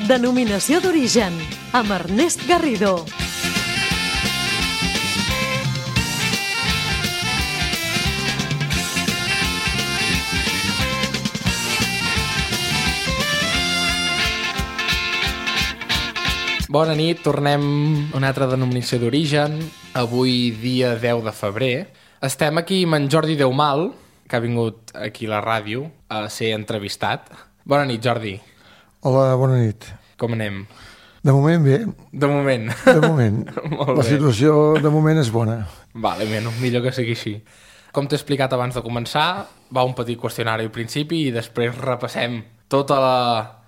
Denominació d'origen, amb Ernest Garrido. Bona nit, tornem a una altra denominació d'origen. Avui, dia 10 de febrer. Estem aquí amb en Jordi Deumal, que ha vingut aquí a la ràdio a ser entrevistat. Bona nit, Jordi. Hola, bona nit. Com anem? De moment bé. De moment. De moment. Molt La bé. situació de moment és bona. Vale, millor que sigui així. Com t'he explicat abans de començar, va un petit qüestionari al principi i després repassem tota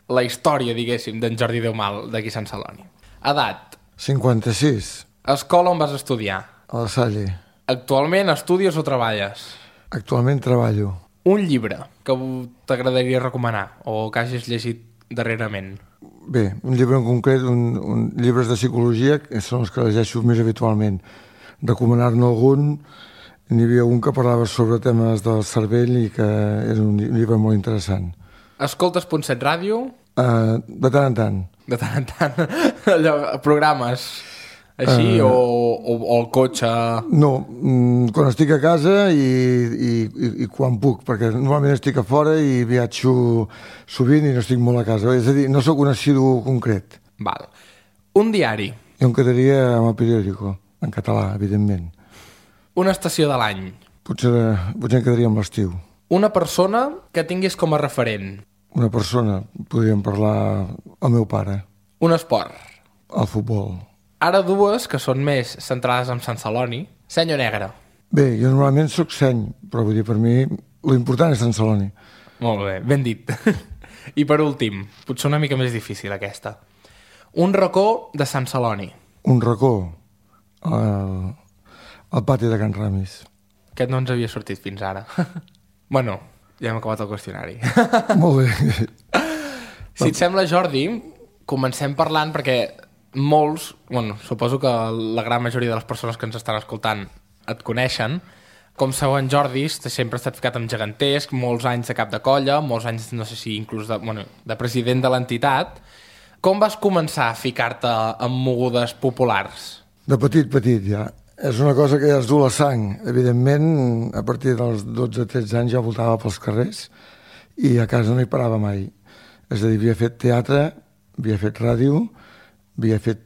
la història, diguéssim, d'en Jordi Deumal, d'aquí a Sant Celoni. Edat. 56, Escola on vas estudiar. a la Salle. Actualment estudies o treballes? Actualment treballo. Un llibre que t'agradaria recomanar o que hagis llegit darrerament. Bé, un llibre en concret, llibres de psicologia, que són els que llegeixo més habitualment. Recomanar-ne algun, n'hi havia un que parlava sobre temes del cervell i que és un llibre molt interessant. Escoltes Punt7 Ràdio? De tant en tant. De tant en tant. Allò, programes així o el cotxe? No, quan estic a casa i quan puc, perquè normalment estic a fora i viatjo sovint i no estic molt a casa. És a dir, no sóc un assidu concret. Val. Un diari. Jo em quedaria amb el periòdico, en català, evidentment. Una estació de l'any. Potser em quedaria amb l'estiu. Una persona que tinguis com a referent. Una persona, podríem parlar el meu pare. Un esport. El futbol. Ara dues que són més centrades en Sant Celoni. Seny o negre? Bé, jo normalment sóc seny, però vull dir, per mi, l'important és Sant Celoni. Molt bé, ben dit. I per últim, potser una mica més difícil aquesta. Un racó de Sant Celoni. Un racó, al pati de Can Ramis. Aquest no ens havia sortit fins ara. Bueno, ja hem acabat el qüestionari. Molt bé. Si et sembla, Jordi, comencem parlant perquè molts, bueno, suposo que la gran majoria de les persones que ens estan escoltant et coneixen. Com sabeu, en Jordi sempre ha estat ficat amb gegantesc, molts anys de cap de colla, molts anys, no sé si inclús de president de l'entitat. Com vas començar a ficar-te amb mogudes populars? De petit ja. És una cosa que ja es du la sang. Evidentment, a partir dels 12-13 anys ja voltava pels carrers i a casa no hi parava mai. És a dir, havia fet teatre, havia fet ràdio, havia fet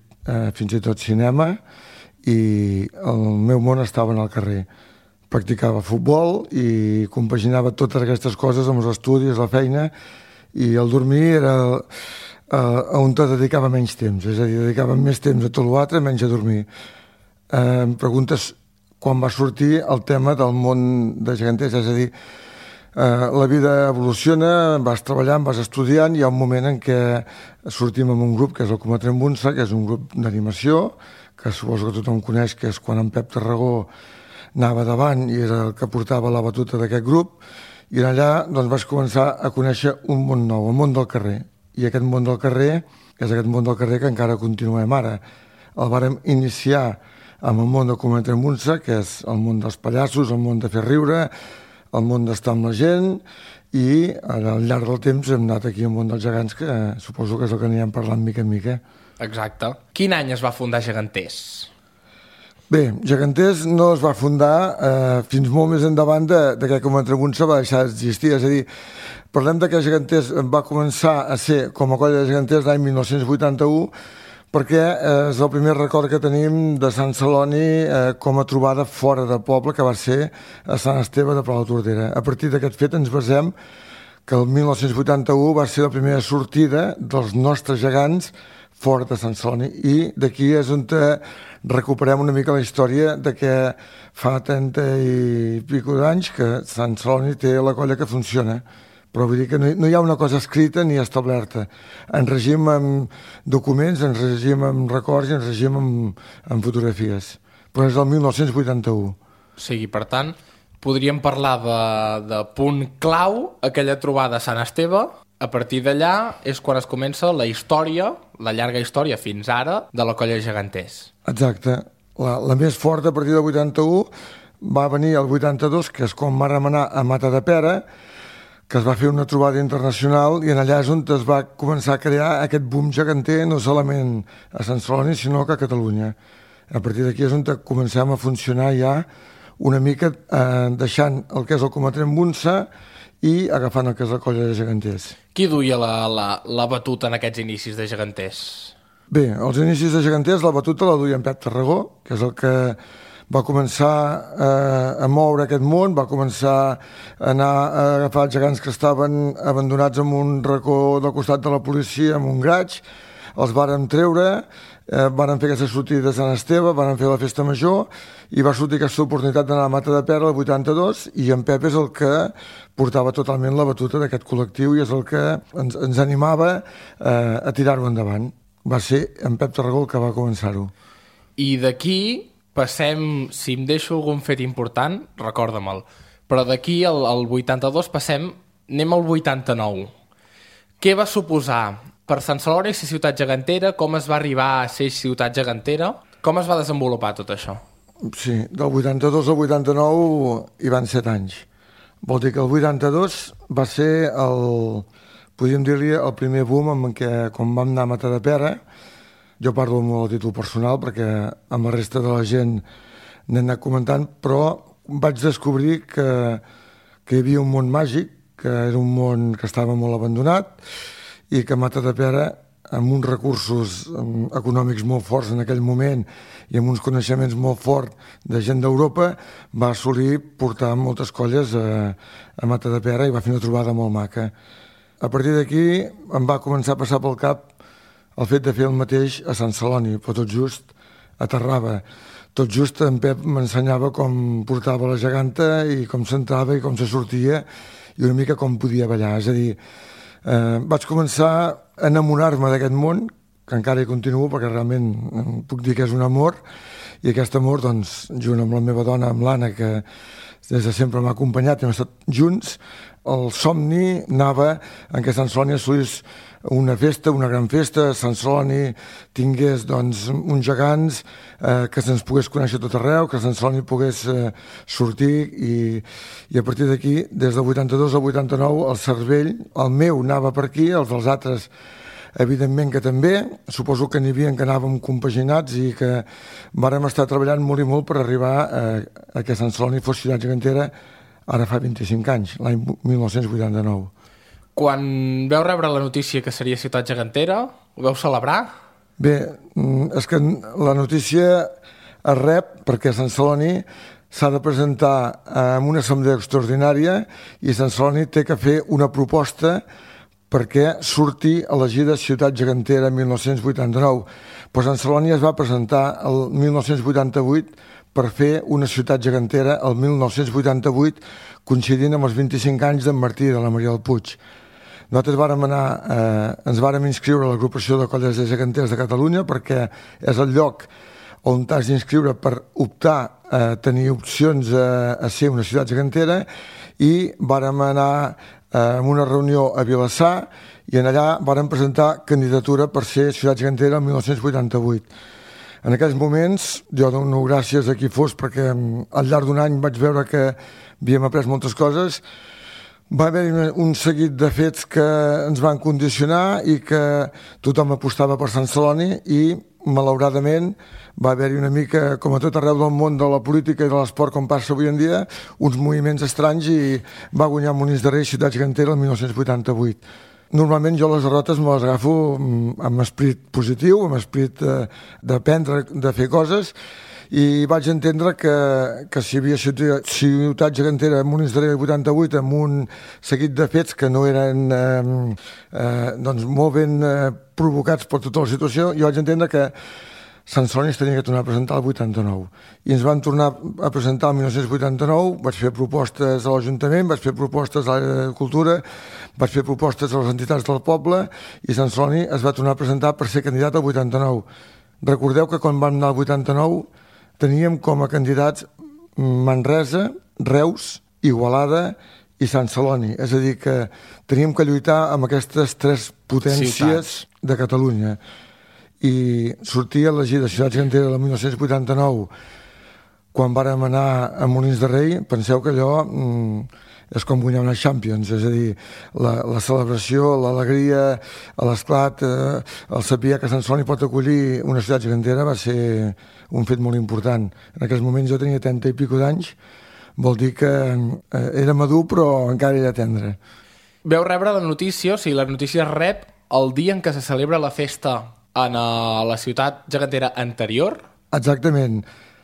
fins i tot cinema i el meu món estava en el carrer. Practicava futbol i compaginava totes aquestes coses amb els estudis, la feina, i el dormir era on te dedicava menys temps. És a dir, dedicava més temps a tot l'altre, menys a dormir. Em preguntes quan va sortir el tema del món de geganters, és a dir, la vida evoluciona, vas treballant, vas estudiant, hi ha un moment en què sortim amb un grup que és el Cometrem Bunsa, que és un grup d'animació, que suposo que tothom coneix, que és quan en Pep Tarragó anava davant i era el que portava la batuta d'aquest grup, i allà doncs, vaig començar a conèixer un món nou, el món del carrer. I aquest món del carrer és aquest món del carrer que encara continuem ara. El vàrem iniciar amb el món de Cometrem Bunsa, que és el món dels pallassos, el món de fer riure, el món d'estar amb la gent, i al llarg del temps hem anat aquí al món dels gegants, que suposo que és el que anirem parlant mica en mica. Exacte. Quin any es va fundar Geganters? Bé, Geganters no es va fundar fins molt més endavant de que Cometrem Bunsa va deixar d'existir. És a dir, parlem de que Geganters va començar a ser com a colla de geganters l'any 1981, perquè és el primer record que tenim de Sant Celoni com a trobada fora de poble, que va ser a Sant Esteve de Pla de Tordera. A partir d'aquest fet ens basem que el 1981 va ser la primera sortida dels nostres gegants fora de Sant Celoni, i d'aquí és on recuperem una mica la història de que fa 30 i pico d'anys que Sant Celoni té la colla que funciona. Però vull dir que no hi ha una cosa escrita ni establerta. Ens regim amb documents, ens regim amb records i ens regim amb fotografies. Però és del 1981. O sigui, per tant, podríem parlar de punt clau, aquella trobada a Sant Esteve. A partir d'allà és quan es comença la història, la llarga història fins ara, de la colla de geganters. Exacte. La més forta a partir del 81 va venir el 82, que és quan vàrem anar a Matadepera, que es va fer una trobada internacional i en allà és on es va començar a crear aquest boom geganter, no solament a Sant Celoni, sinó que a Catalunya. A partir d'aquí és on comencem a funcionar ja una mica deixant el que és el Comatrem Bunsa i agafant el que és la colla de geganters. Qui duia la batuta en aquests inicis de geganters? Bé, als inicis de geganters la batuta la duia en Pep Tarragó, que és el que va començar a moure aquest món, va començar a anar a agafar els gegants que estaven abandonats en un racó del costat de la policia, en un graig, els varen treure, varen fer aquesta sortida de Sant Esteve, varen fer la festa major i va sortir aquesta oportunitat d'anar a Matadepera el 82 i en Pep és el que portava totalment la batuta d'aquest col·lectiu i és el que ens animava a tirar-ho endavant. Va ser en Pep Tarragó el que va començar-ho. I d'aquí passem, si em deixo algun fet important, recorda-me'l, però d'aquí al 82 anem al 89. Què va suposar per Sant Celoni ser ciutat gegantera? Com es va arribar a ser ciutat gegantera? Com es va desenvolupar tot això? Sí, del 82 al 89 hi van 7 anys. Vol dir que el 82 va ser podríem dir-li el primer boom en què, quan vam anar a Matadepera, jo parlo molt a títol personal perquè amb la resta de la gent n'he anat comentant, però vaig descobrir que hi havia un món màgic, que era un món que estava molt abandonat i que Matadepera, amb uns recursos econòmics molt forts en aquell moment i amb uns coneixements molt forts de gent d'Europa, va assolir portar moltes colles a Matadepera i va fer una trobada molt maca. A partir d'aquí em va començar a passar pel cap el fet de fer el mateix a Sant Celoni, però tot just aterrava. Tot just en Pep m'ensenyava com portava la geganta i com s'entrava i com se sortia i una mica com podia ballar. És a dir, vaig començar a enamorar-me d'aquest món, que encara hi continuo perquè realment puc dir que és un amor, i aquest amor, doncs, junt amb la meva dona, amb l'Anna, que des de sempre m'ha acompanyat i hem estat junts, el somni anava en què Sant Celoni assolís una festa, una gran festa, Sant Celoni tingués doncs, uns gegants, que se'ns pogués conèixer tot arreu, que Sant Celoni pogués sortir i a partir d'aquí, des del 82 al 89, el cervell, el meu anava per aquí, els dels altres evidentment que també, suposo que n'hi havia que anàvem compaginats i que vàrem estar treballant molt i molt per arribar a que Sant Celoni fos ciutat gegantera ara fa 25 anys, l'any 1989. Quan veu rebre la notícia que seria ciutat gegantera, ho veu celebrar? Bé, és que la notícia es rep perquè Sant Celoni s'ha de presentar en una assemblea extraordinària i Sant Celoni té que fer una proposta perquè surti elegida ciutat gegantera en 1989. Però Sant Celoni es va presentar el 1988 per fer una ciutat gegantera el 1988, coincidint amb els 25 anys d'en Martí i de la Maria del Puig. Nosaltres ens vàrem inscriure a l'agrupació de colles de geganters de Catalunya perquè és el lloc on t'has d'inscriure per optar a tenir opcions a ser una ciutat gegantera i vàrem anar en una reunió a Vilassar i en allà vàrem presentar candidatura per ser ciutat gegantera el 1988. En aquells moments, jo dono gràcies a qui fos perquè al llarg d'un any vaig veure que havíem après moltes coses. Va haver un seguit de fets que ens van condicionar i que tothom apostava per Sant Celoni i, malauradament, va haver-hi una mica, com a tot arreu del món de la política i de l'esport, com passa avui en dia, uns moviments estranys i va guanyar Molins de Rei ciutat gegantera el 1988. Normalment jo les derrotes me les agafo amb esperit positiu, amb esperit d'aprendre, de fer coses, i vaig entendre que si hi havia ciutat gegantera a Molins de Rei 88 amb un seguit de fets que no eren doncs molt ben provocats per tota la situació, jo vaig entendre que Sant Celoni es tenia que tornar a presentar el 89. I ens van tornar a presentar el 1989, vaig fer propostes a l'Ajuntament, vaig fer propostes a l'àrea de cultura, vaig fer propostes a les entitats del poble i Sant Celoni es va tornar a presentar per ser candidat al 89. Recordeu que quan vam anar al 89 teníem com a candidats Manresa, Reus, Igualada i Sant Celoni. És a dir, que teníem que lluitar amb aquestes tres potències de Catalunya. I sortia elegida ciutat gegantera del 1989 quan vàrem anar a Molins de Rei. Penseu que allò és com guanyar una Champions, és a dir, la celebració, l'alegria, l'esclat, el saber que Sant Celoni pot acollir una ciutat gegantera va ser un fet molt important. En aquells moments jo tenia 30 i pico d'anys, vol dir que era madur però encara era tendre. Veu rebre la notícia, o sigui, la notícia es rep el dia en què se celebra la festa en la ciutat gegantera anterior? Exactament.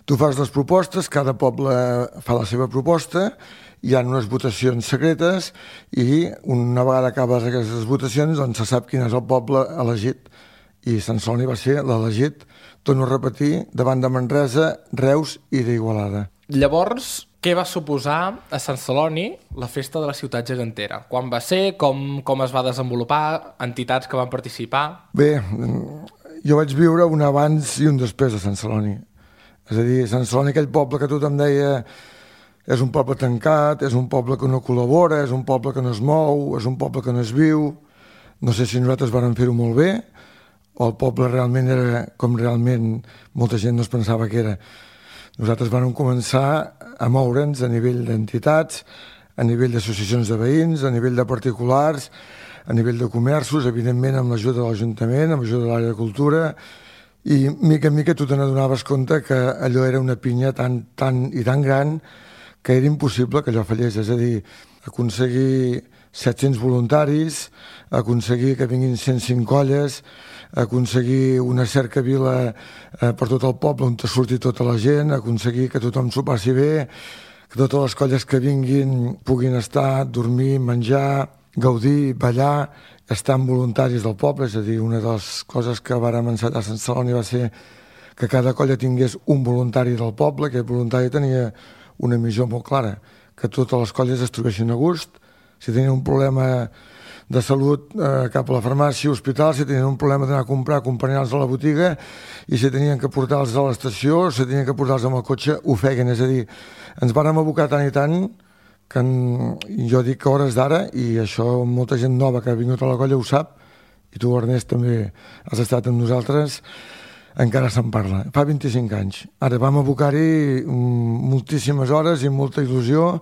Tu fas les propostes, cada poble fa la seva proposta, hi ha unes votacions secretes i una vegada acabes aquestes votacions doncs se sap quin és el poble elegit. I Sant Celoni va ser l'elegit, torno a repetir, davant de Manresa, Reus i d'Igualada. Llavors, què va suposar a Sant Celoni la festa de la ciutat gegantera? Quan va ser? Com es va desenvolupar? Entitats que van participar? Bé, jo vaig viure un abans i un després de Sant Celoni. És a dir, Sant Celoni, aquell poble que tothom deia és un poble tancat, és un poble que no col·labora, és un poble que no es mou, és un poble que no es viu. No sé si nosaltres vàrem fer-ho molt bé o el poble realment era com realment molta gent no es pensava que era. Nosaltres vàrem començar a moure'ns a nivell d'entitats, a nivell d'associacions de veïns, a nivell de particulars, a nivell de comerços, evidentment amb l'ajuda de l'Ajuntament, amb l'ajuda de l'àrea de cultura, i mica en mica tu te n'adonaves compte que allò era una pinya tan i tan gran que era impossible que allò fallés. És a dir, aconseguir 700 voluntaris, aconseguir que vinguin 105 colles, aconseguir una cercavila per tot el poble on te surti tota la gent, aconseguir que tothom s'ho passi bé, que totes les colles que vinguin puguin estar, dormir, menjar, gaudir, ballar, estar amb voluntaris del poble. És a dir, una de les coses que vàrem encetar a Sant Celoni va ser que cada colla tingués un voluntari del poble, que el voluntari tenia una missió molt clara, que totes les colles es trobessin a gust, si tenien un problema de salut cap a la farmàcia, hospital, si tenien un problema d'anar a comprar, acompanyar-los a la botiga, i si tenien que portar-los a l'estació, si tenien que portar-los amb el cotxe, ho feien. És a dir, ens vàrem abocar tant i tant que jo dic que hores d'ara, i això molta gent nova que ha vingut a la colla ho sap, i tu, Ernest, també has estat amb nosaltres, encara se'n parla. Fa 25 anys. Ara vam abocar-hi moltíssimes hores i molta il·lusió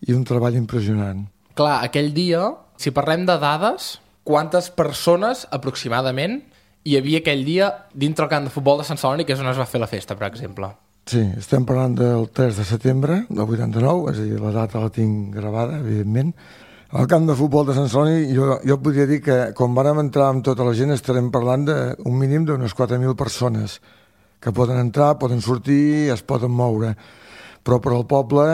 i un treball impressionant. Clar, aquell dia, si parlem de dades, quantes persones aproximadament hi havia aquell dia dintre el camp de futbol de Sant Celoni, que és on es va fer la festa, per exemple? Sí, estem parlant del 3 de setembre del 89, és a dir, la data la tinc gravada, evidentment. Al camp de futbol de Sant Celoni jo podria dir que quan vàrem entrar amb tota la gent estarem parlant d'un mínim d'unes 4.000 persones que poden entrar, poden sortir, es poden moure. Però per al poble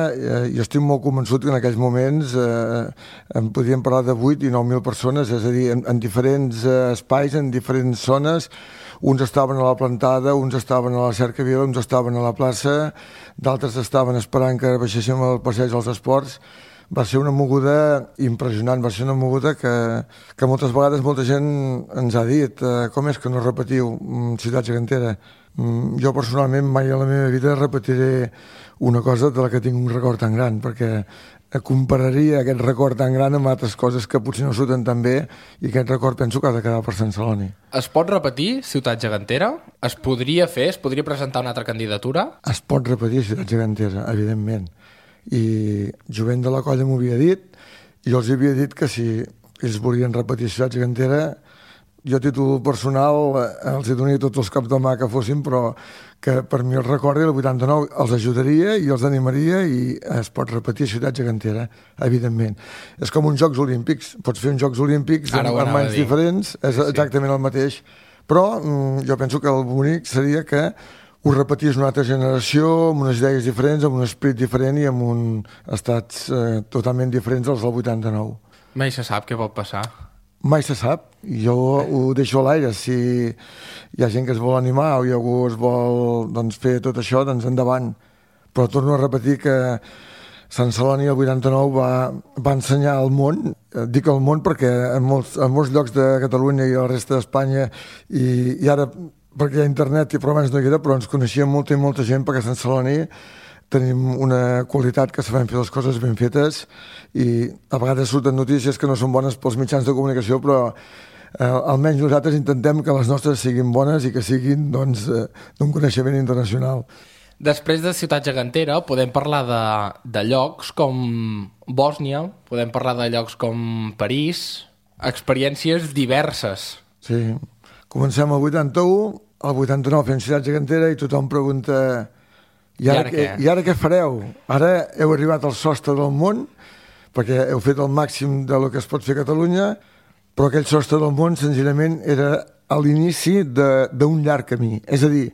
jo estic molt convençut que en aquells moments en podríem parlar de 8 i 9.000 persones, és a dir, en diferents espais, en diferents zones. Uns estaven a la plantada, uns estaven a la cercavila, uns estaven a la plaça, d'altres estaven esperant que baixéssim al passeig dels esports. Va ser una moguda impressionant, va ser una moguda que moltes vegades molta gent ens ha dit com és que no repetiu Ciutat Gegantera. Jo personalment mai a la meva vida repetiré una cosa de la que tinc un record tan gran, perquè compararia aquest record tan gran amb altres coses que potser no surten tan bé, i aquest record penso que ha de quedar per Sant Celoni. Es pot repetir Ciutat Gegantera? Es podria fer? Es podria presentar una altra candidatura? Es pot repetir Ciutat Gegantera, evidentment. I jovent de la colla m'ho havia dit, i jo els havia dit que si ells volien repetir Ciutat Gegantera, jo a títol personal els hi donaria tots els cops de mà que fossin, però que per mi el record del 89 els ajudaria i els animaria, i es pot repetir Ciutat Gegantera, evidentment. És com uns Jocs Olímpics, pots fer uns Jocs Olímpics amb anys diferents, és exactament el mateix, però jo penso que el bonic seria que ho repetís una altra generació, amb unes idees diferents, amb un esperit diferent i amb uns estats totalment diferents dels del 89. Mai se sap què pot passar. Mai se sap, jo ho deixo a l'aire. Si hi ha gent que es vol animar o algú es vol fer tot això, doncs endavant. Però torno a repetir que Sant Celoni el 89 va ensenyar al món, dic al món perquè en molts llocs de Catalunya i a la resta d'Espanya, i ara perquè hi ha internet, però abans no hi era, però ens coneixia molta i molta gent, perquè a Sant Celoni tenim una qualitat que sabem fer les coses ben fetes, i a vegades surten notícies que no són bones pels mitjans de comunicació, però almenys nosaltres intentem que les nostres siguin bones i que siguin d'un coneixement internacional. Després de Ciutat Gegantera podem parlar de llocs com Bòsnia, podem parlar de llocs com París, experiències diverses. Sí, comencem al 81, al 89 fem Ciutat Gegantera i tothom pregunta i ara què fareu? Ara heu arribat al sostre del món perquè heu fet el màxim del que es pot fer a Catalunya, però aquell sostre del món senzillament era a l'inici d'un llarg camí. És a dir,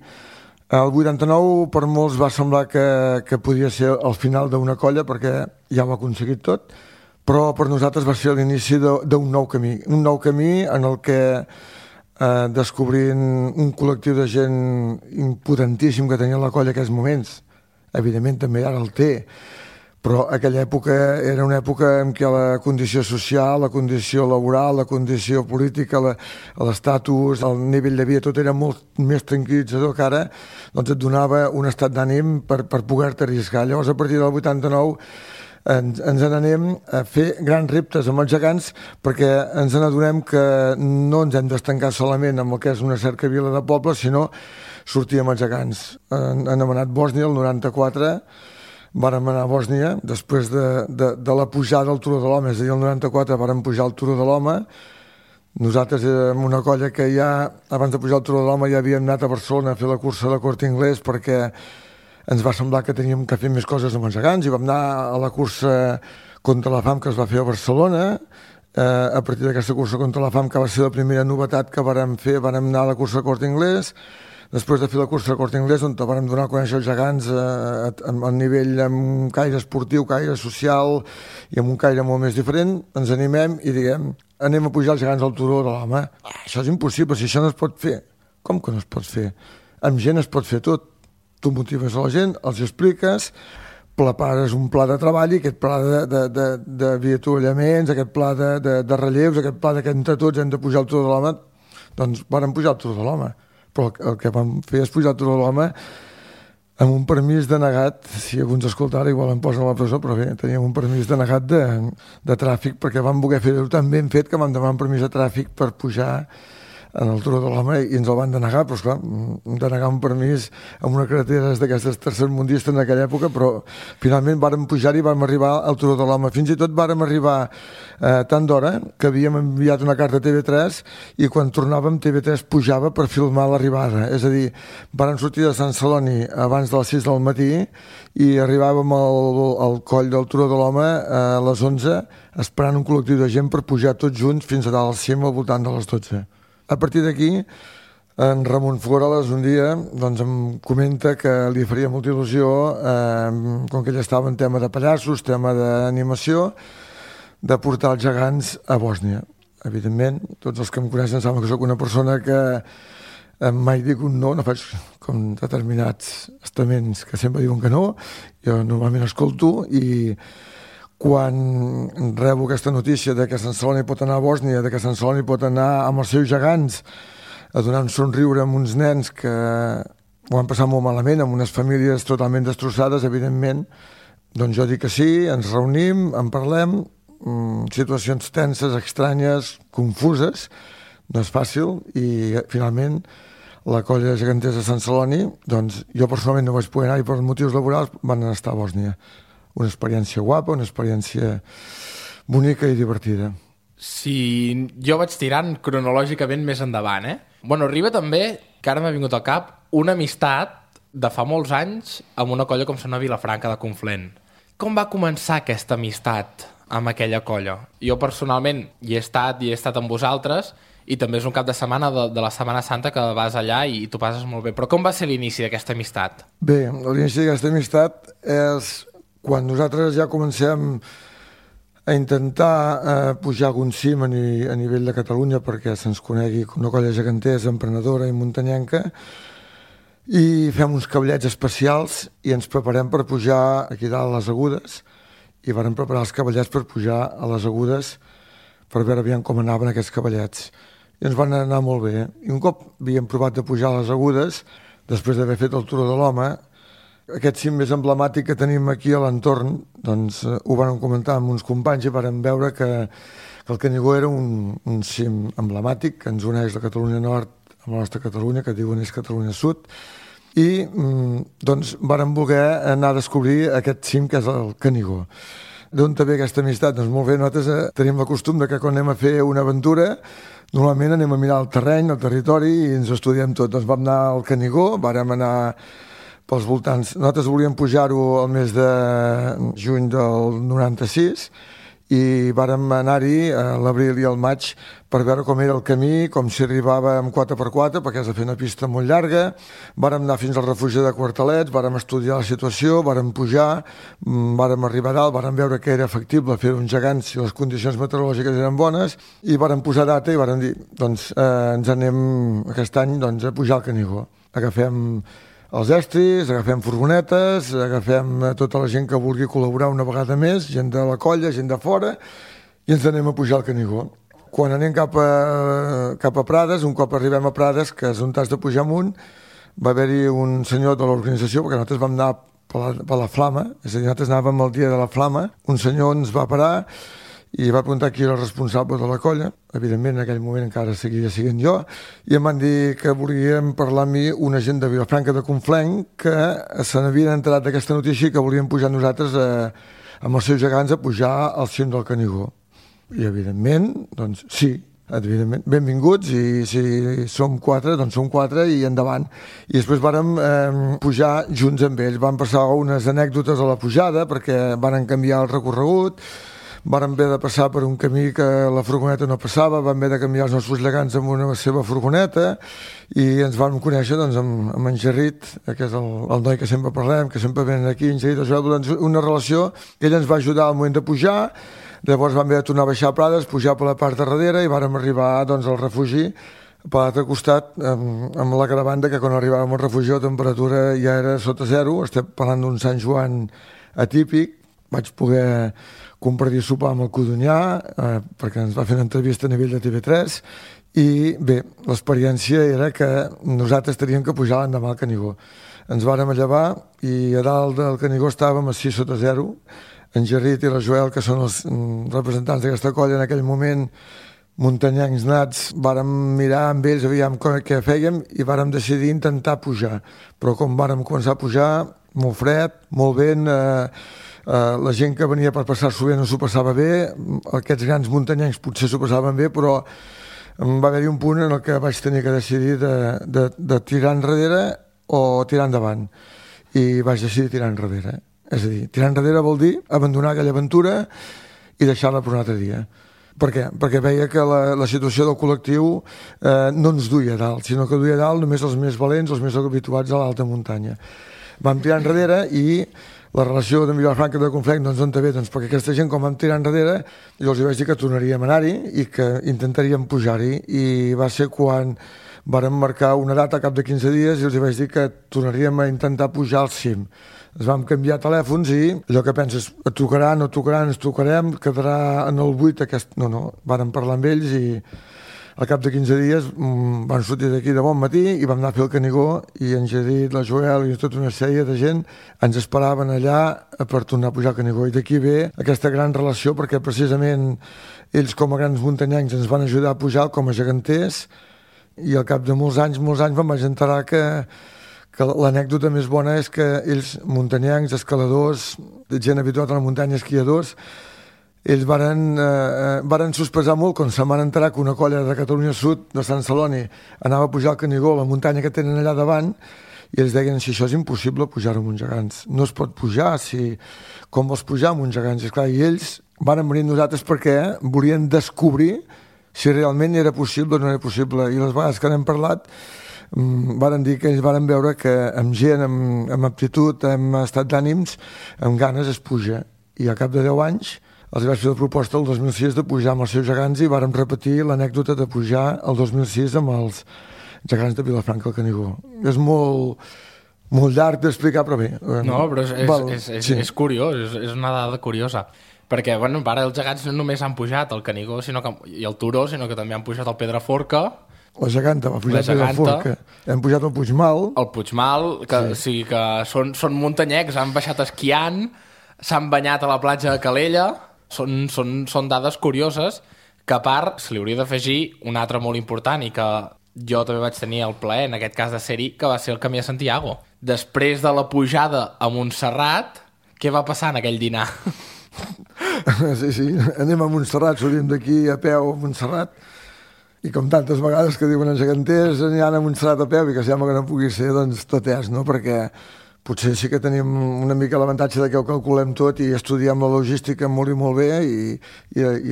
el 89 per molts va semblar que podia ser el final d'una colla perquè ja ho ha aconseguit tot, però per nosaltres va ser l'inici d'un nou camí. Un nou camí en el que descobrint un col·lectiu de gent impotentíssim que tenia la colla en aquells moments, evidentment també ara el té, però aquella època era una època en què la condició social, la condició laboral, la condició política, l'estatus, el nivell de vida, tot era molt més tranquil·litzador que ara, doncs et donava un estat d'ànim per poder-te arriscar. Llavors, a partir del 89, ens n'anem a fer grans reptes amb els gegants perquè ens n'adonem que no ens hem d'estancar solament amb el que és una cercavila de poble, sinó sortir amb els gegants. Han anomenat Bòsnia el 94, vàrem anar a Bòsnia després de la pujada al Turó de l'Home, és a dir, el 94 vàrem pujar al Turó de l'Home. Nosaltres érem una colla que ja, abans de pujar al Turó de l'Home, ja havíem anat a Barcelona a fer la cursa de Corte Inglés perquè ens va semblar que teníem que fer més coses amb els gegants i vam anar a la cursa contra la fam que es va fer a Barcelona. A partir d'aquesta cursa contra la fam, que va ser la primera novetat que vàrem fer, vàrem anar a la cursa de Corte Inglés. Després de fer la cursa de Corte Inglés, on vàrem donar a conèixer els gegants a nivell amb un caire esportiu, caire social i amb un caire molt més diferent, ens animem i diguem, anem a pujar els gegants al Turó de l'Home. Això és impossible, si això no es pot fer. Com que no es pot fer? Amb gent es pot fer tot. Tu motives a la gent, els expliques, prepares un pla de treball i aquest pla d'avituallaments, aquest pla de relleus, aquest pla que entre tots hem de pujar al Turó de l'Home, doncs vàrem pujar al Turó de l'Home. Però el que vam fer és pujar al Turó de l'Home amb un permís denegat, si algú ens escoltara igual em posen a la presó, però bé, teníem un permís denegat de tràfic perquè vam voler fer-ho tan ben fet que vam demanar un permís de tràfic per pujar en el Turó de l'Home i ens el van denegar, però esclar, denegar un permís amb una carretera d'aquestes tercermundistes en aquella època, però finalment vàrem pujar i vam arribar al Turó de l'Home. Fins i tot vàrem arribar tant d'hora que havíem enviat una carta a TV3 i quan tornàvem TV3 pujava per filmar l'arribada. És a dir, vàrem sortir de Sant Celoni abans de les 6 del matí i arribàvem al coll del Turó de l'Home a les 11 esperant un col·lectiu de gent per pujar tots junts fins a dalt al cim al voltant de les 12. A partir d'aquí, en Ramon Florales un dia doncs, em comenta que li faria molta il·lusió, com que ell estava en tema de pallassos, tema d'animació, de portar els gegants a Bòsnia. Evidentment, tots els que em coneixen saben que sóc una persona que mai dic un no faig com determinats estaments que sempre diuen que no, jo normalment escolto i quan rebo aquesta notícia de que Sant Celoni pot anar a Bòsnia, de que Sant Celoni pot anar amb els seus gegants a donar un somriure amb uns nens que ho han passat molt malament, amb unes famílies totalment destrossades, evidentment, doncs jo dic que sí, ens reunim, en parlem, situacions tenses, estranyes, confuses, no és fàcil, i finalment la colla de geganters de Sant Celoni, doncs jo personalment no vaig poder anar i per motius laborals van estar a Bòsnia. Una experiència guapa, una experiència bonica i divertida. Si jo vaig tirant cronològicament més endavant, Bueno, arriba també, que ara m'ha vingut al cap, una amistat de fa molts anys amb una colla com sona Vilafranca de Conflent. Com va començar aquesta amistat amb aquella colla? Jo personalment hi he estat amb vosaltres i també és un cap de setmana de la Setmana Santa que vas allà i t'ho passes molt bé. Però com va ser l'inici d'aquesta amistat? Bé, l'inici d'aquesta amistat és quan nosaltres ja comencem a intentar pujar algun cim a nivell de Catalunya perquè se'ns conegui com una colla geganters, emprenedora i muntanyenca, i fem uns cavallets especials i ens preparem per pujar aquí dalt a les Agudes i vàrem preparar els cavallets per pujar a les Agudes per veure aviam com anaven aquests cavallets. I ens van anar molt bé. I un cop havíem provat de pujar a les Agudes, després d'haver fet el Turó de l'Home, aquest cim més emblemàtic que tenim aquí a l'entorn, doncs ho vam comentar amb uns companys i vam veure que el Canigó era un cim emblemàtic que ens uneix la Catalunya Nord amb la nostra Catalunya, que diuen és Catalunya Sud, i doncs vàrem voler anar a descobrir aquest cim que és el Canigó. D'on ve aquesta amistat? Doncs molt bé, nosaltres tenim el costum de que quan anem a fer una aventura normalment anem a mirar el terreny, el territori i ens ho estudiem tot. Doncs vam anar al Canigó, vàrem anar pels voltants. Nosaltres volíem pujar-ho al mes de juny del 96 i vàrem anar-hi a l'abril i al maig per veure com era el camí, com s'hi arribava amb 4x4, perquè has de fer una pista molt llarga. Vàrem anar fins al refugi de Quartalets, vàrem estudiar la situació, vàrem pujar, vàrem arribar a dalt, vàrem veure que era factible fer uns gegants si les condicions meteorològiques eren bones, i vàrem posar data i vàrem dir, doncs ens anem aquest any a pujar al Canigó. Agafem els estris, agafem furgonetes, agafem tota la gent que vulgui col·laborar una vegada més, gent de la colla, gent de fora, i ens anem a pujar al Canigó. Quan anem cap a Prades, un cop arribem a Prades, que és on t'has de pujar amunt, va haver-hi un senyor de l'organització, perquè nosaltres vam anar per la Flama, és a dir, nosaltres anàvem el dia de la Flama, un senyor ens va parar i va preguntar qui era el responsable de la colla. Evidentment, en aquell moment encara seguia sent jo, i em van dir que volien parlar amb mi una gent de Vilafranca de Conflent que se n'havien enterat d'aquesta notícia i que volien pujar nosaltres amb els seus gegants a pujar al cim del Canigó. I evidentment, doncs sí, evidentment, benvinguts, i si som 4, doncs som 4 i endavant. I després vàrem pujar junts amb ells. Van passar unes anècdotes a la pujada perquè van canviar el recorregut, vàrem haver de passar per un camí que la furgoneta no passava, vam haver de canviar els nostres gegants amb una seva furgoneta i ens vam conèixer amb en Gerrit, que és el noi que sempre parlem, que sempre venen aquí, en Gerrit, una relació. Ell ens va ajudar al moment de pujar, llavors vam haver de tornar a baixar a Prades, pujar per la part de darrere i vàrem arribar al refugi per l'altre costat amb la caravana, que quan arribàvem al refugi la temperatura ja era sota zero. Estem parlant d'un Sant Joan atípic. Vaig poder compartir sopar amb el Codonyà perquè ens va fer una entrevista a nivell de TV3 i bé, l'experiència era que nosaltres teníem que pujar l'endemà al Canigó. Ens vàrem llevar i a dalt del Canigó estàvem a 6 sota 0. En Gerrit i la Joel, que són els representants d'aquesta colla en aquell moment, muntanyencs nats, vàrem mirar amb ells, aviam què fèiem i vàrem decidir intentar pujar. Però com vàrem començar a pujar, molt fred, molt vent, la gent que venia per passar-s'ho bé no s'ho passava bé, aquests grans muntanyencs potser s'ho passaven bé, però va haver-hi un punt en el que vaig tenir que decidir de tirar enrere o tirar endavant, i vaig decidir tirar enrere. És a dir, tirar enrere vol dir abandonar aquella aventura i deixar-la per un altre dia. Per què? Perquè veia que la situació del col·lectiu no ens duia a dalt, sinó que duia a dalt només els més valents, els més habituats a l'alta muntanya. Vam tirar enrere i la relació de Vilafranca de Conflent, doncs on ve? Doncs perquè aquesta gent, com vam tirar enrere, jo els vaig dir que tornaríem a anar-hi i que intentaríem pujar-hi, i va ser quan vàrem marcar una data a cap de 15 dies i els vaig dir que tornaríem a intentar pujar al cim. Ens vam canviar telèfons i allò que penses, et trucarà, no trucarà, ens trucarem, quedarà en el 8 aquest... No, vàrem parlar amb ells i al cap de 15 dies van sortir d'aquí de bon matí i vam anar a fer el Canigó, i en Gerrit, la Joel i tota una sèrie de gent ens esperaven allà per tornar a pujar al Canigó. I d'aquí ve aquesta gran relació, perquè precisament ells com a grans muntanyencs ens van ajudar a pujar com a geganters, i al cap de molts anys me'n vaig enterar que l'anècdota més bona és que ells, muntanyencs, escaladors, gent habituada a la muntanya, esquiadors, ells varen sospesar molt quan se'n van enterar que una colla de Catalunya Sud, de Sant Celoni, anava a pujar al Canigó, la muntanya que tenen allà davant, i ells deien, si això és impossible pujar-ho amb uns gegants, no es pot pujar, com vols pujar amb uns gegants? I, esclar, i ells van venir nosaltres perquè volien descobrir si realment era possible o no era possible, i les vegades que n'hem parlat varen dir que ells varen veure que amb gent, amb aptitud, amb estat d'ànims, amb ganes es puja, i al cap de 10 anys els vaig fer la proposta el 2006 de pujar amb els seus gegants, i vàrem repetir l'anècdota de pujar el 2006 amb els gegants de Vilafranca al Canigó. És molt llarg d'explicar, però bé. No, però és curiós, és una dada curiosa. Perquè, bueno, ara els gegants no només han pujat al Canigó i al Turó, sinó que també han pujat al Pedraforca. La geganta va pujar al Pedraforca. Hem pujat al Puigmal. El Puigmal, que sí que són muntanyecs, han baixat esquiant, s'han banyat a la platja de Calella. Són dades curioses que, a part, se li hauria d'afegir una altra molt important, i que jo també vaig tenir el plaer, en aquest cas de ser-hi, que va ser el Camí de Santiago. Després de la pujada a Montserrat, què va passar en aquell dinar? Sí, anem a Montserrat, sortim d'aquí a peu a Montserrat, i com tantes vegades que diuen els geganters aniran a Montserrat a peu i que sembla que no pugui ser, doncs tot és, no? Perquè potser sí que tenim una mica l'avantatge de que ho calculem tot i estudiem la logística molt i molt bé i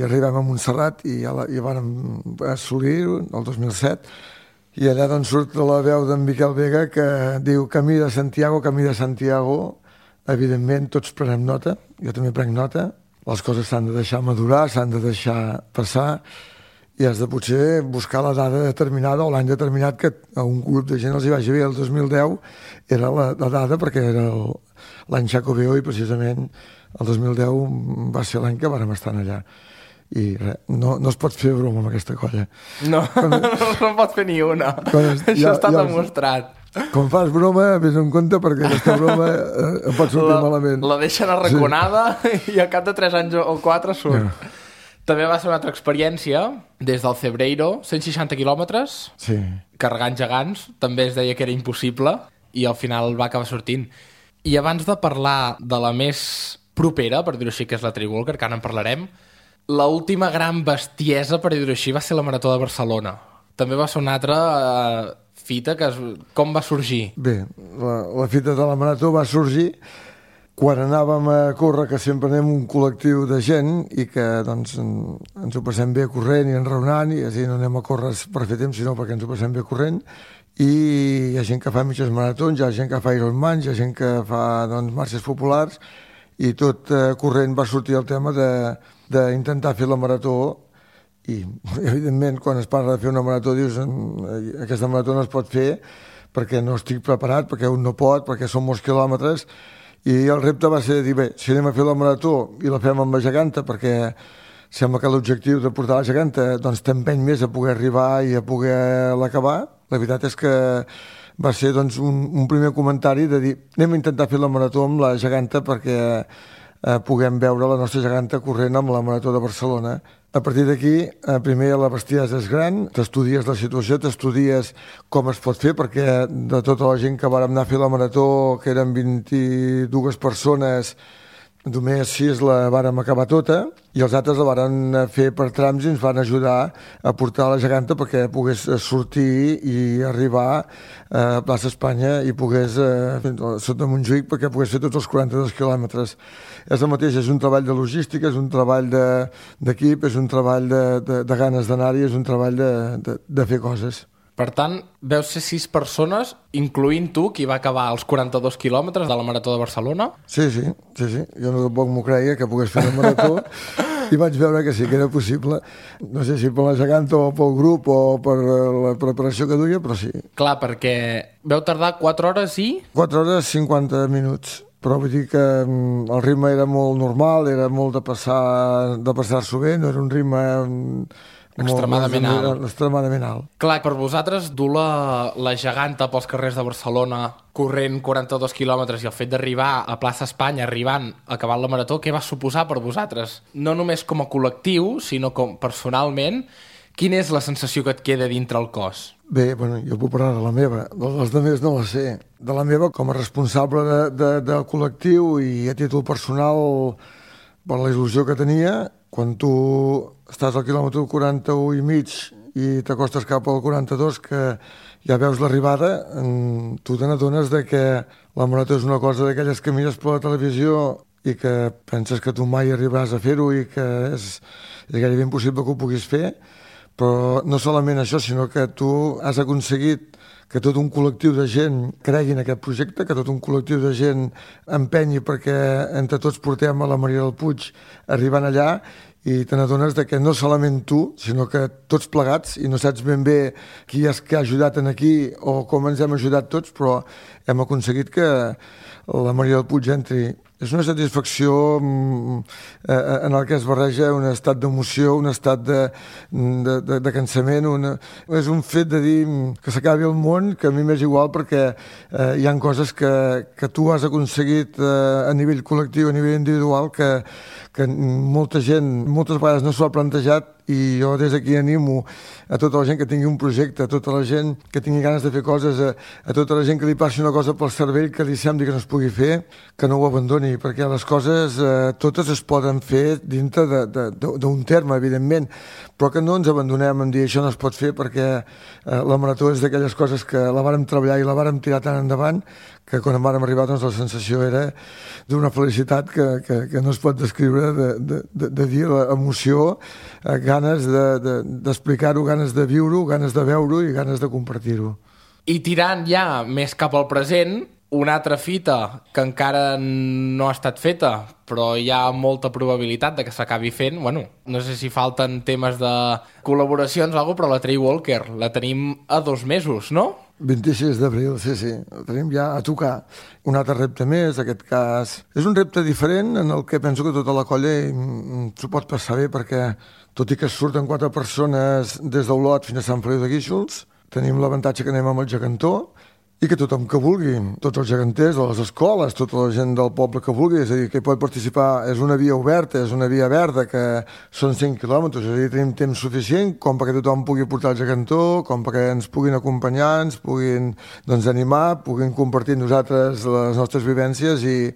arribem a Montserrat i vam assolir el 2007 i allà doncs surt la veu d'en Miquel Vega que diu Camí de Santiago, evidentment tots prenem nota, jo també prenc nota, les coses s'han de deixar madurar, s'han de deixar passar i has de potser buscar la dada determinada o l'any determinat que a un grup de gent els hi vagi bé. El 2010 era la dada perquè era l'any Xacobeo i precisament el 2010 va ser l'any que vàrem estar allà. I res, no es pot fer broma amb aquesta colla. No, no pot fer ni una. Això està demostrat. Quan fas broma, vés en compte perquè aquesta broma pot sortir malament. La deixen arraconada i al cap de 3 anys o 4 surt. Ja. També va ser una altra experiència, des del Cebreiro, 160 quilòmetres, sí. Carregant gegants, també es deia que era impossible, i al final va acabar sortint. I abans de parlar de la més propera, per dir-ho així, que és la Trailwalker, que ara en parlarem, l'última gran bestiesa, per dir-ho així, va ser la Marató de Barcelona. També va ser una altra fita, com va sorgir? Bé, la fita de la Marató va sorgir quan anàvem a córrer, que sempre anem un col·lectiu de gent i que doncs, ens ho passem bé corrent i enraonant, i així no anem a córrer per fer temps, sinó perquè ens ho passem bé corrent, i hi ha gent que fa mitges maratons, hi ha gent que fa Ironmans, hi ha gent que fa doncs, marxes populars, i tot corrent va sortir el tema d'intentar fer la marató, i evidentment quan es parla de fer una marató dius aquesta marató no es pot fer perquè no estic preparat, perquè un no pot, perquè són molts quilòmetres. I el repte va ser dir, bé, si anem a fer la marató i la fem amb la geganta, perquè sembla que l'objectiu de portar la geganta doncs t'empeny més a poder arribar i a poder l'acabar. La veritat és que va ser doncs, un primer comentari de dir, anem a intentar fer la marató amb la geganta perquè puguem veure la nostra geganta corrent amb la Marató de Barcelona. A partir d'aquí, primer la bestiesa és gran, t'estudies la situació, t'estudies com es pot fer, perquè de tota la gent que vàrem anar a fer la marató, que eren 22 persones, només 6 la vàrem acabar tota, i els altres la varen fer per trams i ens van ajudar a portar la geganta perquè pogués sortir i arribar a Plaça Espanya i pogués sota Montjuïc perquè pogués fer tots els 42 quilòmetres. És el mateix, és un treball de logística, és un treball d'equip, és un treball de ganes d'anar-hi, és un treball de fer coses. Per tant, veus ser 6 persones, incloent tu, qui va acabar els 42 quilòmetres de la Marató de Barcelona? Sí. Jo no tampoc m'ho creia que pogués fer la marató i vaig veure que sí, que era possible. No sé si per la geganta o pel grup o per la preparació que duia, però sí. Clar, perquè veu tardar 4 hores i... 4 hores 50 minuts. Però vull dir que el ritme era molt normal, era molt de passar-s'ho bé, no era un ritme... extremadament alt. Clar, per vosaltres dur la geganta pels carrers de Barcelona corrent 42 quilòmetres i el fet d'arribar a Plaça Espanya, arribant, acabant la marató, què va suposar per vosaltres? No només com a col·lectiu, sinó com personalment, quina és la sensació que et queda dintre el cos? Bé, bueno, jo puc parlar de la meva, dels altres no la sé. De la meva com a responsable del col·lectiu i a títol personal per la il·lusió que tenia, quan tu estàs al quilòmetre 41 i mig i t'acostes cap al 42, que ja veus l'arribada, tu te n'adones que la marató és una cosa d'aquelles que mires per la televisió i que penses que tu mai arribaràs a fer-ho i que és gairebé impossible que ho puguis fer, però no solament això, sinó que tu has aconseguit que tot un col·lectiu de gent cregui en aquest projecte, que tot un col·lectiu de gent empenyi perquè entre tots portem a la Maria del Puig arribant allà i te n'adones que no solament tu, sinó que tots plegats, i no saps ben bé qui és que ha ajudat en aquí o com ens hem ajudat tots, però hem aconseguit que la Maria del Puig entri. És una satisfacció en el que es barreja un estat d'emoció, un estat de cansament. És un fet de dir que s'acabi el món, que a mi m'és igual perquè hi ha coses que tu has aconseguit a nivell col·lectiu, a nivell individual, que que molta gent moltes vegades no s'ho ha plantejat, i jo des d'aquí animo a tota la gent que tingui un projecte, a tota la gent que tingui ganes de fer coses, a tota la gent que li passi una cosa pel cervell que li sembli que no es pugui fer, que no ho abandoni, perquè les coses totes es poden fer dintre d'un terme, evidentment, però que no ens abandonem en dir això no es pot fer, perquè la marató és d'aquelles coses que la vàrem treballar i la vàrem tirar tan endavant que quan vàrem arribar doncs, la sensació era d'una felicitat que no es pot descriure, de dir l'emoció, ganes d'explicar-ho, ganes de viure-ho, ganes de veure-ho i ganes de compartir-ho. I tirant ja més cap al present, una altra fita que encara no ha estat feta, però hi ha molta probabilitat de que s'acabi fent. Bueno, no sé si falten temes de col·laboracions o alguna cosa, però la Trail Walker la tenim a 2 mesos, no? 26 d'abril, sí. Ho tenim ja a tocar. Un altre repte més, en aquest cas. És un repte diferent en el que penso que tota la colla s'ho pot passar bé, perquè tot i que surten 4 persones des d'Olot fins a Sant Feliu de Guíxols, tenim l'avantatge que anem amb el gegantó i que tothom que vulgui, tots els geganters de les escoles, tota la gent del poble que vulgui, és a dir, que hi pot participar, és una via oberta, és una via verda, que són 5 quilòmetres, és a dir, tenim temps suficient com perquè tothom pugui portar el gegantó, com perquè ens puguin acompanyar, ens puguin animar, puguin compartir amb nosaltres les nostres vivències, i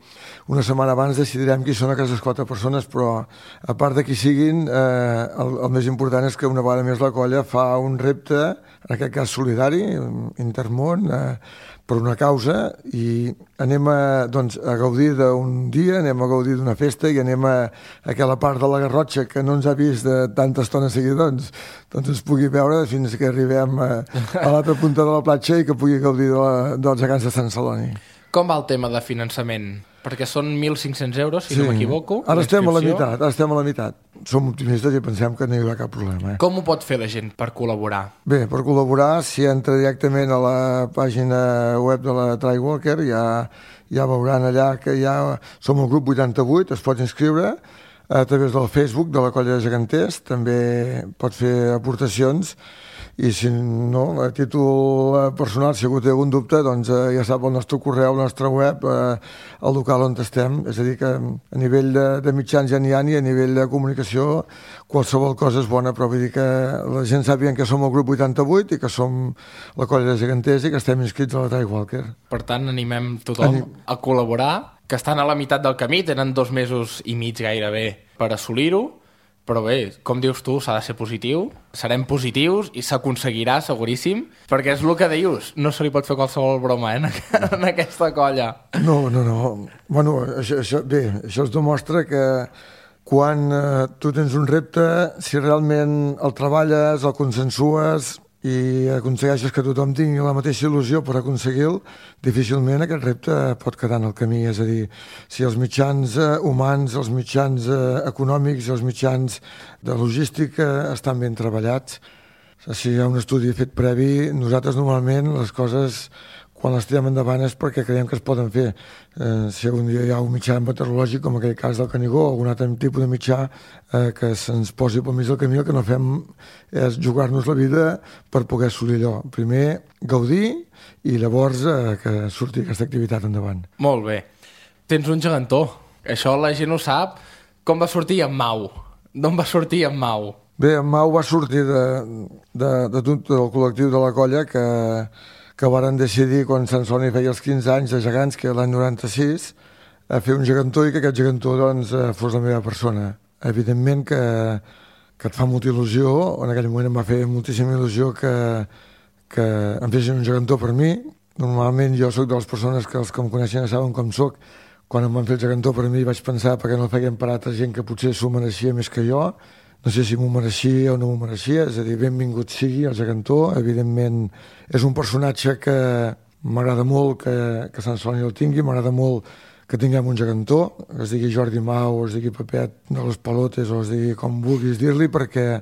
una setmana abans decidirem qui són aquestes 4 persones, però a part de qui siguin, el més important és que una vegada més la colla fa un repte, en aquest cas solidari, intermón, per una causa, i anem a gaudir d'un dia, anem a gaudir d'una festa i anem a aquella part de la Garrotxa que no ens ha vist de tanta estona seguida, doncs es pugui veure fins que arribem a l'altra punta de la platja i que pugui gaudir dels gegants de Sant Celoni. Com va el tema de finançament? Perquè són 1.500 euros, si no m'equivoco. Ara estem a la meitat. Som optimistes i pensem que no hi haurà cap problema. Com ho pot fer la gent per col·laborar? Bé, per col·laborar, si entra directament a la pàgina web de la Trail Walker, ja veuran allà que ja som el grup 88, es pot inscriure a través del Facebook de la colla de geganters, també pot fer aportacions, i si no, a títol personal, si algú té algun dubte, doncs ja sap el nostre correu, el nostre web, el local on estem. És a dir, que a nivell de mitjans ja n'hi ha, i a nivell de comunicació qualsevol cosa és bona, però vull dir que la gent sàpiguen que som el grup 88 i que som la colla de geganters i que estem inscrits a la Trail Walker. Per tant, animem tothom a col·laborar, que estan a la meitat del camí, tenen 2 mesos i mig gairebé per assolir-ho, però bé, com dius tu, s'ha de ser positiu, serem positius i s'aconseguirà, seguríssim, perquè és el que dius, no se li pot fer qualsevol broma en aquesta colla. No. Bueno, això es demostra que quan tu tens un repte, si realment el treballes, el consensues i aconsegueixes que tothom tingui la mateixa il·lusió per aconseguir-lo, difícilment aquest repte pot quedar en el camí. És a dir, si els mitjans humans, els mitjans econòmics i els mitjans de logística estan ben treballats, si hi ha un estudi fet previ, nosaltres normalment les coses, quan les tirem endavant és perquè creiem que es poden fer. Si algun dia hi ha un mitjà meteorològic, com aquell cas del Canigó, o algun altre tipus de mitjà que se'ns posi pel mig del camí, el que no fem és jugar-nos la vida per poder assolir allò. Primer, gaudir, i llavors que surti aquesta activitat endavant. Molt bé. Tens un gegantó. Això la gent ho sap. Com va sortir en Mau? D'on va sortir en Mau? Bé, en Mau va sortir del col·lectiu de la colla que varen decidir, quan Sant Celoni feia els 15 anys de gegants, que l'any 96, a fer un gegantó i que aquest gegantó fos la meva persona. Evidentment que et fa molta il·lusió, en aquell moment em va fer moltíssima il·lusió que em fessin un gegantó per mi. Normalment jo sóc de les persones que els que em coneixen ja saben com sóc. Quan em van fer el gegantó per mi vaig pensar perquè no el feien per altra gent que potser s'ho mereixia més que jo. No sé si m'ho mereixia o no m'ho mereixia, és a dir, benvingut sigui el gegantó. Evidentment és un personatge que m'agrada molt que Sant Celoni el tingui, m'agrada molt que tinguem un gegantó, es digui Jordi Mau, o es digui Pepet de les Palotes, o es digui com vulguis dir-li, perquè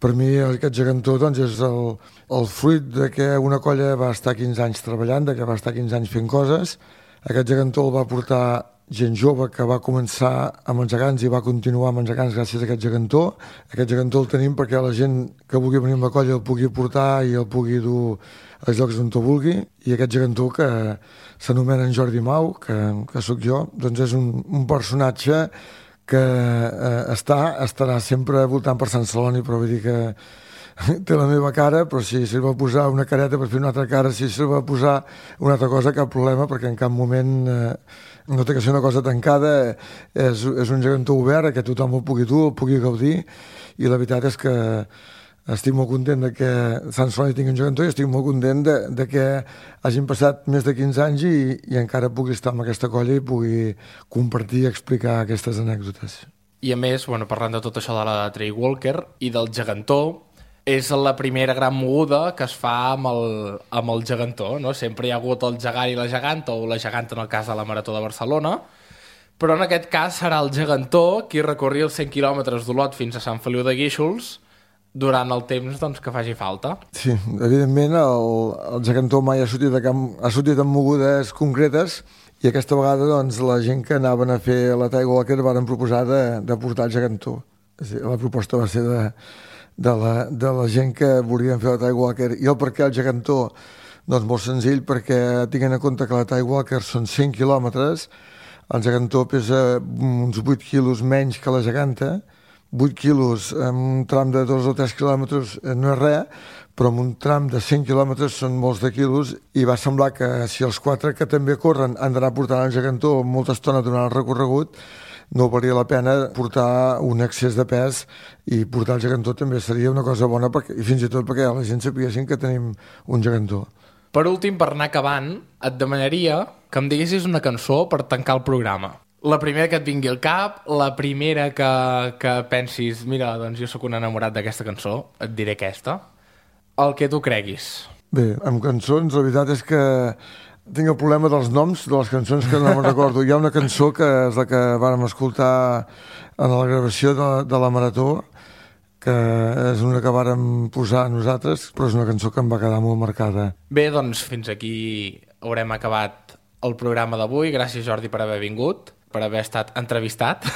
per mi aquest gegantó és el fruit de que una colla va estar 15 anys treballant, de que va estar 15 anys fent coses. Aquest gegantó el va portar gent jove que va començar amb els gegants i va continuar amb els gegants gràcies a aquest gegantó. Aquest gegantó el tenim perquè la gent que vulgui venir amb la colla el pugui portar i el pugui dur als llocs on ho vulgui. I aquest gegantó, que s'anomena en Jordi Mau, que sóc jo, doncs és un personatge que estarà sempre voltant per Sant Celoni, però vull dir que té la meva cara, però si se li va posar una careta per fer una altra cara, si se li va posar una altra cosa, cap problema, perquè en cap moment no té que ser una cosa tancada, és un gegantó obert, que tothom el pugui gaudir, i la veritat és que estic molt content de que Sant Celoni tingui un gegantó i estic molt content de que hagin passat més de 15 anys i encara pugui estar amb aquesta colla i pugui compartir i explicar aquestes anècdotes. I a més, parlant de tot això de la Trail Walker i del gegantó, és la primera gran moguda que es fa amb el gegantó, no? Sempre hi ha hagut el gegant i la geganta, o la geganta en el cas de la Marató de Barcelona, però en aquest cas serà el gegantó qui recorri els 100 quilòmetres d'Olot fins a Sant Feliu de Guíxols durant el temps que faci falta. Sí, evidentment el gegantó mai ha sortit amb mogudes concretes, i aquesta vegada la gent que anaven a fer la Trail Walker varen proposar de portar el gegantó. La proposta va ser de la gent que volien fer la Trail Walker. I el per què el gegantó? Doncs molt senzill, perquè tinguent en compte que la Trail Walker són 100 quilòmetres, el gegantó pesa uns 8 quilos menys que la geganta. 8 quilos en un tram de 2 o 3 quilòmetres no és res, però en un tram de 100 quilòmetres són molts de quilos, i va semblar que si els 4 que també corren han d'anar portant el gegantó molta estona durant el recorregut, no valia la pena portar un excés de pes, i portar el gegantó també seria una cosa bona, i fins i tot perquè la gent sapiguessin que tenim un gegantó. Per últim, per anar acabant, et demanaria que em diguessis una cançó per tancar el programa. La primera que et vingui al cap, la primera que pensis, mira, doncs jo sóc un enamorat d'aquesta cançó, et diré aquesta. El que tu creguis. Bé, amb cançons, la veritat és que tinc el problema dels noms de les cançons que no me'n recordo. Hi ha una cançó que és la que vàrem escoltar en la gravació de la Marató, que és una que vàrem posar nosaltres, però és una cançó que em va quedar molt marcada. Bé, doncs fins aquí haurem acabat el programa d'avui. Gràcies, Jordi, per haver vingut, per haver estat entrevistat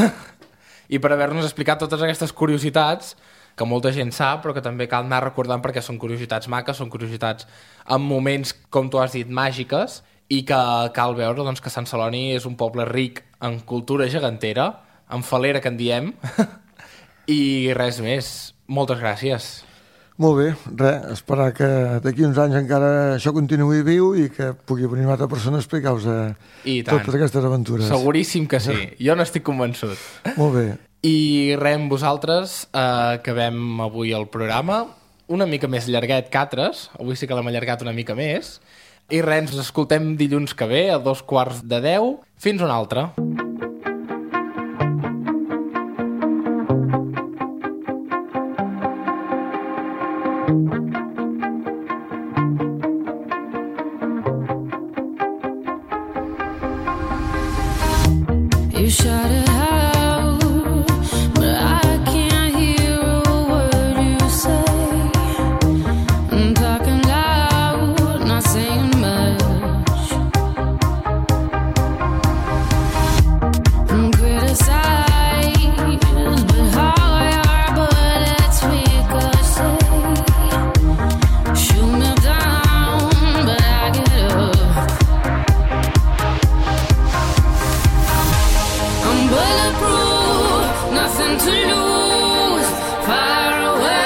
i per haver-nos explicat totes aquestes curiositats que molta gent sap, però que també cal anar recordant perquè són curiositats maques, són curiositats en moments, com tu has dit, màgiques, i que cal veure doncs, que Sant Celoni és un poble ric en cultura gegantera, en falera que en diem, i res més. Moltes gràcies. Molt bé, esperar que d'aquí uns anys encara això continuï viu i que pugui venir una altra persona a explicar-vos totes aquestes aventures. Seguríssim que sí, jo n'estic convençut. Molt bé. I res, amb vosaltres acabem avui el programa, una mica més llarguet que altres, avui sí que l'hem allargat una mica més, i res, ens escoltem dilluns que ve a 9:45. Fins una altra. You shout it out, but I can't hear a word you say. I'm talking loud, not saying much. I'm criticized, but how your bullets ricochet. Shoot me down, but I get up. I'm bulletproof, nothing to lose. Far away.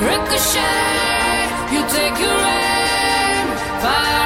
Ricochet, you take your aim. Far